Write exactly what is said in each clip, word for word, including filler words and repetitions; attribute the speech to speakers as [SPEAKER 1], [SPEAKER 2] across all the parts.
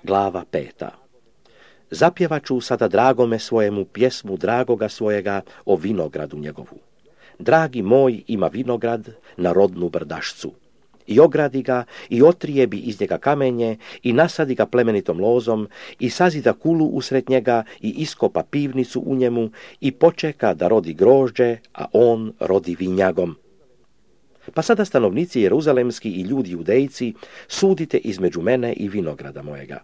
[SPEAKER 1] Glava peta. Zapjevaću sada dragome svojemu pjesmu dragoga svojega o vinogradu njegovu. Dragi moj ima vinograd na rodnu brdašcu. I ogradi ga, i otrijebi iz njega kamenje, i nasadi ga plemenitom lozom, i sazida kulu usred njega, i iskopa pivnicu u njemu, i počeka da rodi grožđe, a on rodi vinjagom. Pa sada stanovnici jeruzalemski i ljudi judejci, sudite između mene i vinograda mojega.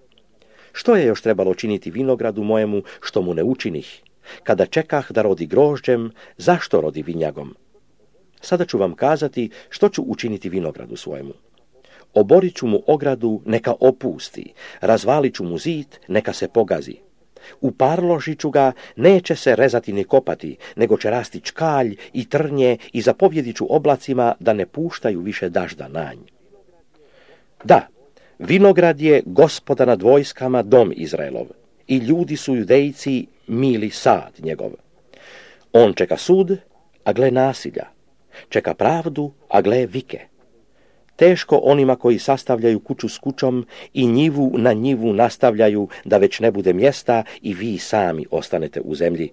[SPEAKER 1] Što je još trebalo činiti vinogradu mojemu, što mu ne učinih? Kada čekah da rodi grožđem, zašto rodi vinjagom? Sada ću vam kazati što ću učiniti vinogradu svojemu. Oborit ću mu ogradu, neka opusti, razvalit ću mu zid, neka se pogazi. Uparložit ću ga, neće se rezati ni kopati, nego će rasti čkalj i trnje i zapovjedit ću oblacima da ne puštaju više dažda na nj. Da, vinograd je Gospoda nad vojskama dom Izraelov i ljudi su judejci mili sad njegov. On čeka sud, a gle nasilja. Čeka pravdu, a gle vike. Teško onima koji sastavljaju kuću s kućom i njivu na njivu nastavljaju da već ne bude mjesta i vi sami ostanete u zemlji.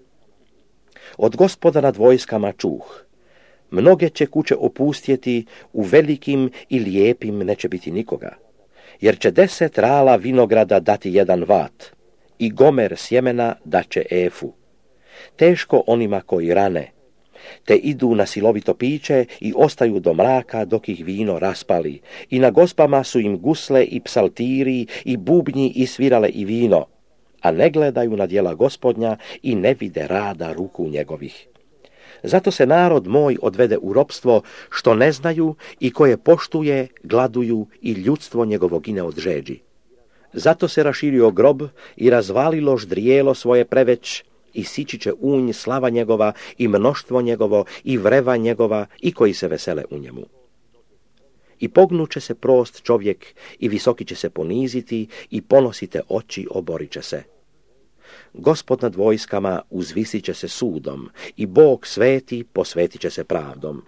[SPEAKER 1] Od Gospoda nad vojskama čuh. Mnoge će kuće opustjeti, u velikim i lijepim neće biti nikoga. Jer će deset rala vinograda dati jedan vat i gomer sjemena daće efu. Teško onima koji rane, te idu na silovito piće i ostaju do mraka dok ih vino raspali. I na gospama su im gusle i psaltiri i bubnji i svirale i vino, a ne gledaju na djela Gospodnja i ne vide rada ruku njegovih. Zato se narod moj odvede u ropstvo, što ne znaju i koje poštuje, gladuju i ljudstvo njegovo gine od žeđi. Zato se raširio grob i razvalilo ždrijelo svoje preveć, i sići će unj slava njegova i mnoštvo njegovo i vreva njegova i koji se vesele u njemu. I pognuće se prost čovjek i visoki će se poniziti i ponosite oči oborit će se. Gospod nad vojskama uzvisit će se sudom i Bog sveti posvetit će se pravdom.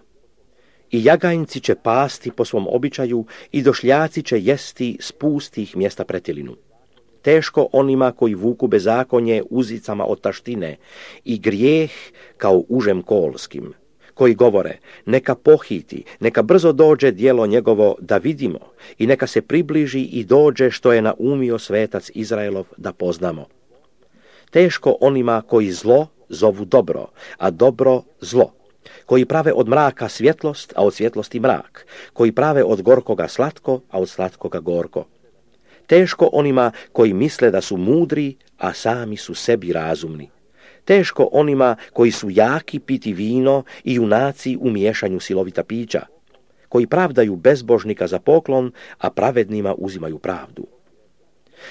[SPEAKER 1] I jagajnci će pasti po svom običaju i došljaci će jesti s pustih mjesta pretilinu. Teško onima koji vuku bezakonje uzicama od taštine i grijeh kao užem kolskim, koji govore neka pohiti, neka brzo dođe djelo njegovo da vidimo i neka se približi i dođe što je naumio svetac Izraelov da poznamo. Teško onima koji zlo zovu dobro, a dobro zlo, koji prave od mraka svjetlost, a od svjetlosti mrak, koji prave od gorkoga slatko, a od slatkoga gorko. Teško onima koji misle da su mudri, a sami su sebi razumni. Teško onima koji su jaki piti vino i junaci u miješanju silovita pića, koji pravdaju bezbožnika za poklon, a pravednima uzimaju pravdu.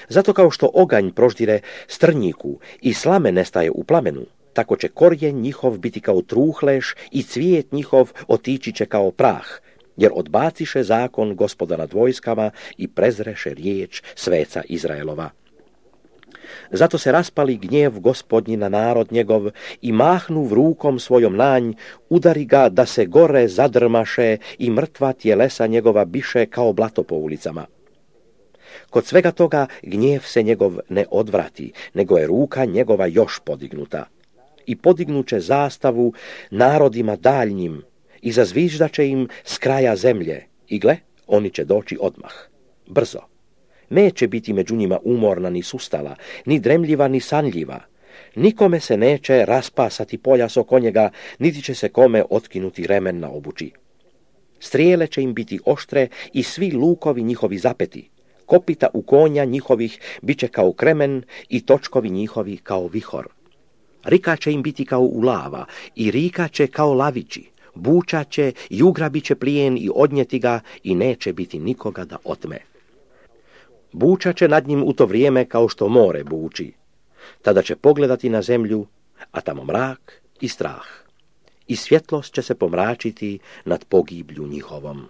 [SPEAKER 1] Zato kao što oganj proždire strnjiku i slame nestaje u plamenu, tako će korijen njihov biti kao truhleš i cvijet njihov otići će kao prah, jer odbaciše zakon Gospoda nad vojskama i prezreše riječ sveca Izraelova. Zato se raspali gnjev Gospodnji na narod njegov i mahnu rukom svojom nanj, udari ga da se gore zadrmaše i mrtva tjelesa njegova biše kao blato po ulicama. Kod svega toga gnjev se njegov ne odvrati, nego je ruka njegova još podignuta. I podignuće zastavu narodima daljnjim i zazviždaće im s kraja zemlje. I gle, oni će doći odmah, brzo. Neće biti među njima umorna ni sustala, ni dremljiva ni sanljiva. Nikome se neće raspasati pojas oko njega, niti će se kome otkinuti remen na obući. Strijele će im biti oštre i svi lukovi njihovi zapeti. Kopita u konja njihovih bit će kao kremen i točkovi njihovi kao vihor. Rika će im biti kao ulava i rika će kao lavići. Buča će i ugrabit će plijen i odnijeti ga i neće biti nikoga da otme. Buča će nad njim u to vrijeme kao što more buči. Tada će pogledati na zemlju, a tamo mrak i strah. I svjetlost će se pomračiti nad pogiblju njihovom.